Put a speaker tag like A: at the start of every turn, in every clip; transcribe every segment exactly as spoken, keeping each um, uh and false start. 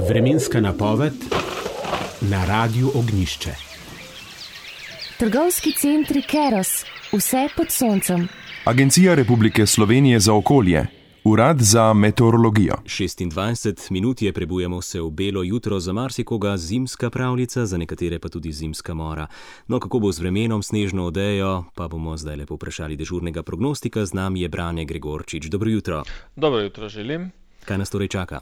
A: Vremenska napoved na Radiu Ognjišče.
B: Trgovski centri Keros, vse pod soncem.
C: Agencija Republike Slovenije za okolje, Urad za meteorologijo.
D: šestindvajset minut je, prebujamo se v belo jutro, za marsikoga zimska pravljica, za nekatere pa tudi zimska mora. No, kako bo z vremenom, snežno odejo, pa bomo zdaj lepo vprašali dežurnega prognostika. Z nami je Brane Gregorčič. Dobro jutro.
E: Dobro jutro želim.
D: Kaj nas torej čaka?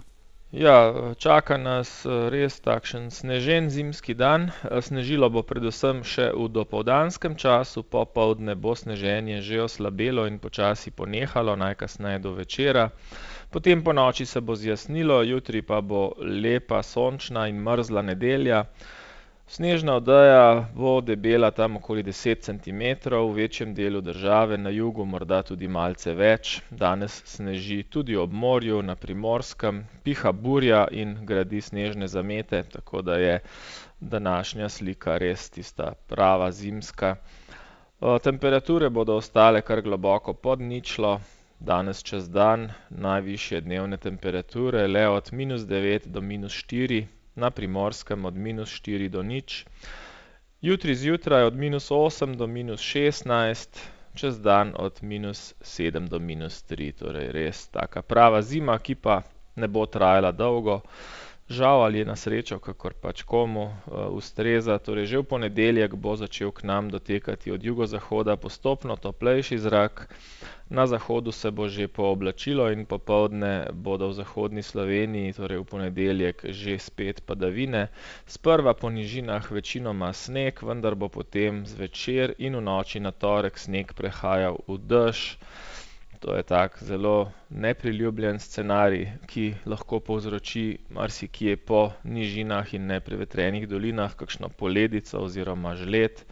E: Ja, čaka nas res takšen snežen zimski dan. Snežilo bo predvsem še v dopoldanskem času, popoldne bo sneženje že oslabelo in počasi ponehalo, najkasneje do večera. Potem po noči se bo zjasnilo, jutri pa bo lepa, sončna in mrzla nedelja. Snežna odeja bo debela tam okoli deset centimetrov, v večjem delu države, na jugu morda tudi malce več. Danes sneži tudi ob morju, na Primorskem, piha burja in gradi snežne zamete, tako da je današnja slika res tista prava zimska. Temperature bodo ostale kar globoko pod ničlo, danes čez dan najvišje dnevne temperature le od minus devet do minus štiri, na Primorskem od minus štiri do nič. Jutri zjutraj od minus osem do minus šestnajst, čez dan od minus sedem do minus tri. Torej res taka prava zima, ki pa ne bo trajala dolgo. Žal ali je na srečo, kakor pač komu uh, ustreza. Torej že v ponedeljek bo začel k nam dotekati od jugozahoda postopno toplejši zrak. Na zahodu se bo že pooblačilo in popoldne bodo v zahodni Sloveniji, torej v ponedeljek, že spet padavine. Sprva po nižinah večinoma sneg, vendar bo potem zvečer in v noči na torek sneg prehajal v dež. To je tak zelo nepriljubljen scenarij, ki lahko povzroči marsikje po nižinah in neprevetrenih dolinah kakšno poledico oziroma žled.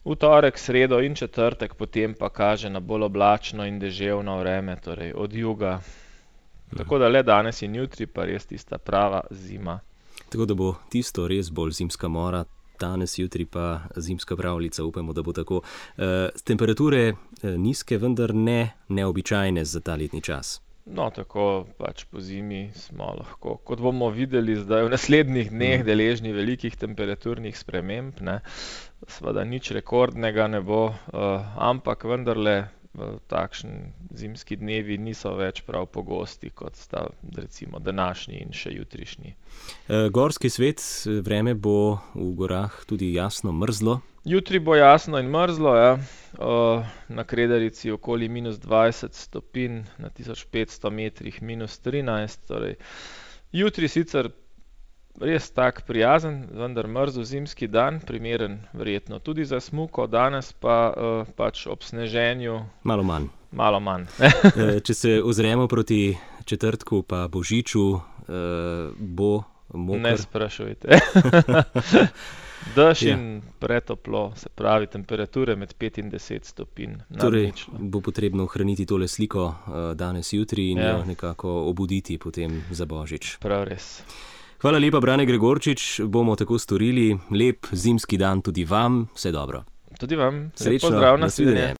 E: V torek, sredo in četrtek potem pa kaže na bolj oblačno in deževno vreme, torej od juga. Tako da le danes in jutri pa res tista prava zima.
D: Tako da bo tisto res bolj zimska mora, danes, jutri pa zimska pravljica, upamo, da bo tako. E, temperature nizke, vendar ne neobičajne za ta letni čas.
E: No, tako pač po zimi smo lahko, kot bomo videli zdaj v naslednjih dneh, deležni velikih temperaturnih sprememb, ne. Seveda nič rekordnega ne bo, uh, ampak vendarle uh, takšni zimski dnevi niso več prav pogosti, kot sta recimo današnji in še jutrišnji.
D: E, gorski svet, vreme bo v gorah tudi jasno mrzlo.
E: Jutri bo jasno in mrzlo, ja. Uh, na Kredarici okoli minus dvajset stopinj, na tisoč petsto metrih minus trinajst. Torej. Jutri sicer res tak prijazen, vendar mrzel zimski dan, primeren verjetno tudi za smuko, danes pa uh, pač ob sneženju
D: malo manj.
E: Malo manj.
D: e, če se ozremo proti četrtku pa božiču, uh, bo moker.
E: Ne sprašujte. Dež in pretoplo, se pravi temperature med pet in deset stopinj.
D: Torej bo potrebno ohraniti tole sliko uh, danes, jutri in jo nekako obuditi potem za božič.
E: Prav res.
D: Hvala lepa, Brane Gregorčič, bomo tako storili. Lep zimski dan tudi vam, vse dobro.
E: Tudi vam.
D: Srečno,
E: pozdrav,
D: nasvidenje.